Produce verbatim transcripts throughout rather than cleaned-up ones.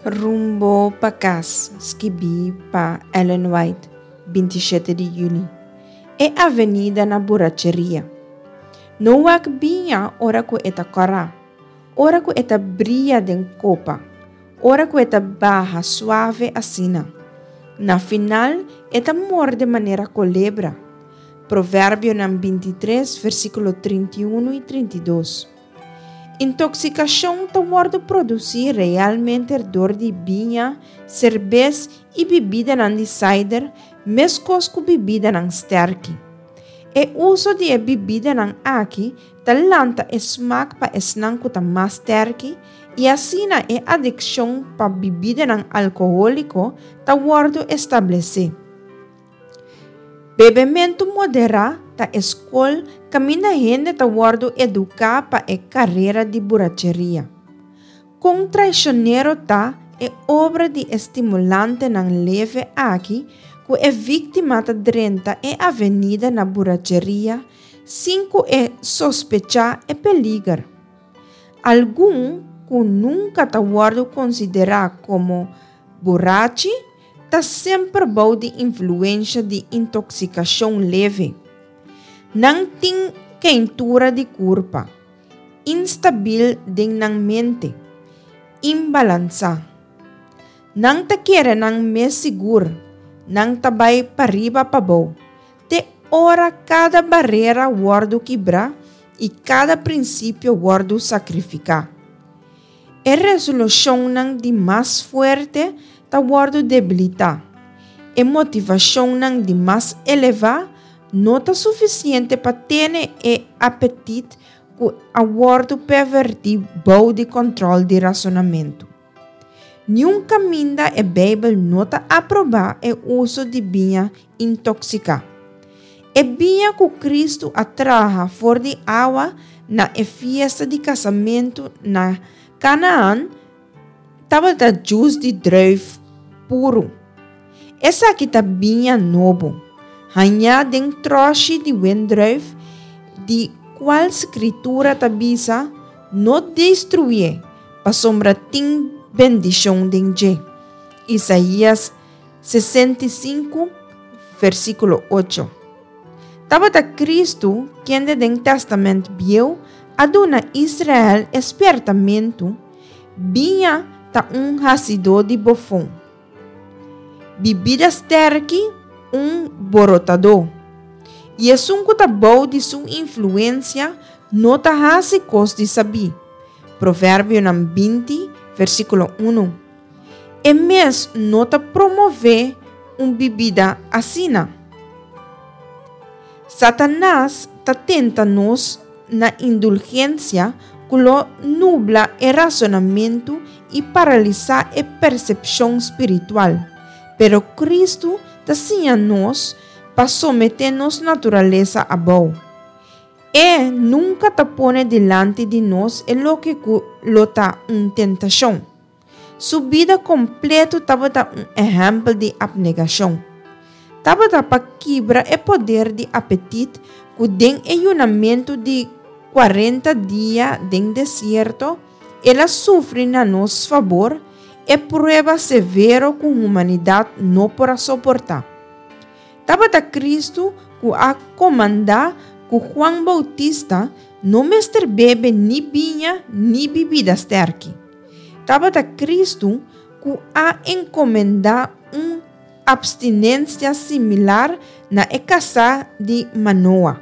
Rumbo pa Kas, skibí pa Ellen White, binti shete di yüli. E Avenida na Buracheria. No wak biña ora ku e ta kòrá, ora ku e ta bria den kopa, ora ku e ta baha suave asina. Na final e ta morde manera kolebra. Proverbionan binti tres, versíkulo trinta i unu i trinta i dos. Intoksikashon ta wòrdu produsí realmente dor di biña, serbes i bibidanan di cider, meskos ku bibidanan stèrki. E uso di e bibidanan aki ta lanta e smak pa esnan ku ta mas stèrki i asina e adikshon pa bibidanan alkohóliko ta wòrdu establesé. Bebementu moderá ta e skol kaminda hende ta wòrdu eduká pa e karera di buracheria. Kon traishonero ta e obra di e stimulantenan leve aki ku e víktima ta drenta e avenida na buracheria sin ku e sospechá e peliger. Algun ku nunka ta wòrdu konsiderá komo burachi ta semper bou di influensha di intoksikashon leve. Nan tin keintura di kurpa, instabil den nan mente, imbalansá. Nan ta kere nan mes sigur, nan ta bai pariba pabou, te ora kada barera wòrdu kibrá i kada prinsipio wòrdu sakrifiká. E resolushonnan di mas fuerte ta wòrdu debilitá. E motivashonnan di mas elevá no ta sufisiente pa tene e apetit ku a wòrdu pervertí bou di kòntròl di rasonamentu. Niun kaminda e Beibel no ta aprobá e uso di biña intoksiká. E biña ku Kristu a traha for di awa na e fiesta di kasamentu na Kanaan tabata djus di druif puru. Esaki ta biña nobo, hañá den tròshi di wendrùif, di kual Skritura ta bisa, No destruyé, pasobra tin bendishon den dje. Isaías sesenta i sinku, versíkulo ocho. Tabata Kristu kende den Tèstamènt Bieu a duna Israel e spièrtamentu, Biña ta un hasidó di bofon, bibida stèrki un borotadó, i esun ku ta bou di su influensia no ta hasi kos di sabí. Proverbionan binti, versíkulo unu. E mes no ta promové un bibida asina. Satanas ta tenta nos na indulgensia ku lo nubla e rasonamentu i paralisá e persepshon spiritual. Pero Kristu ta siña nos pa someté nos naturalesa abou. E nunka ta pone dilanti di nos e loke ku lo ta un tentashon. Su bida kompleto tabata un ehèmpel di apnegashon. Tabata pa kibra e poder di apetit ku den e yunamentu di kuarenta dia den desierto el a sufri na nos fabor e prueba severo ku humanidat no por a soportá. Tabata Kristu ku a komandá ku Juan Boutista no mester bebe ni biña ni bibida stèrki. Tabata Kristu ku a enkomendá un apstinensia similar na e kasá di Manoa.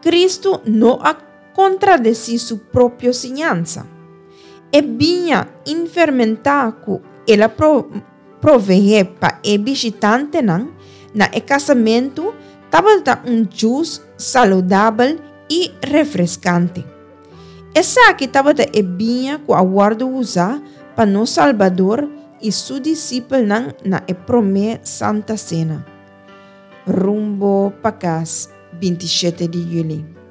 Kristu no a kontradesí su propio siñansa. E biña infermentá ku el a proveé pa e bishitantenan na e kasamentu tabata un djus saludabel i refreskante. Esaki tabata e biña ku a wòrdu usá pa nos Salbador i su disipelnan na e promé Santa Sena. Rumbo pa kas, binti shete di yüli.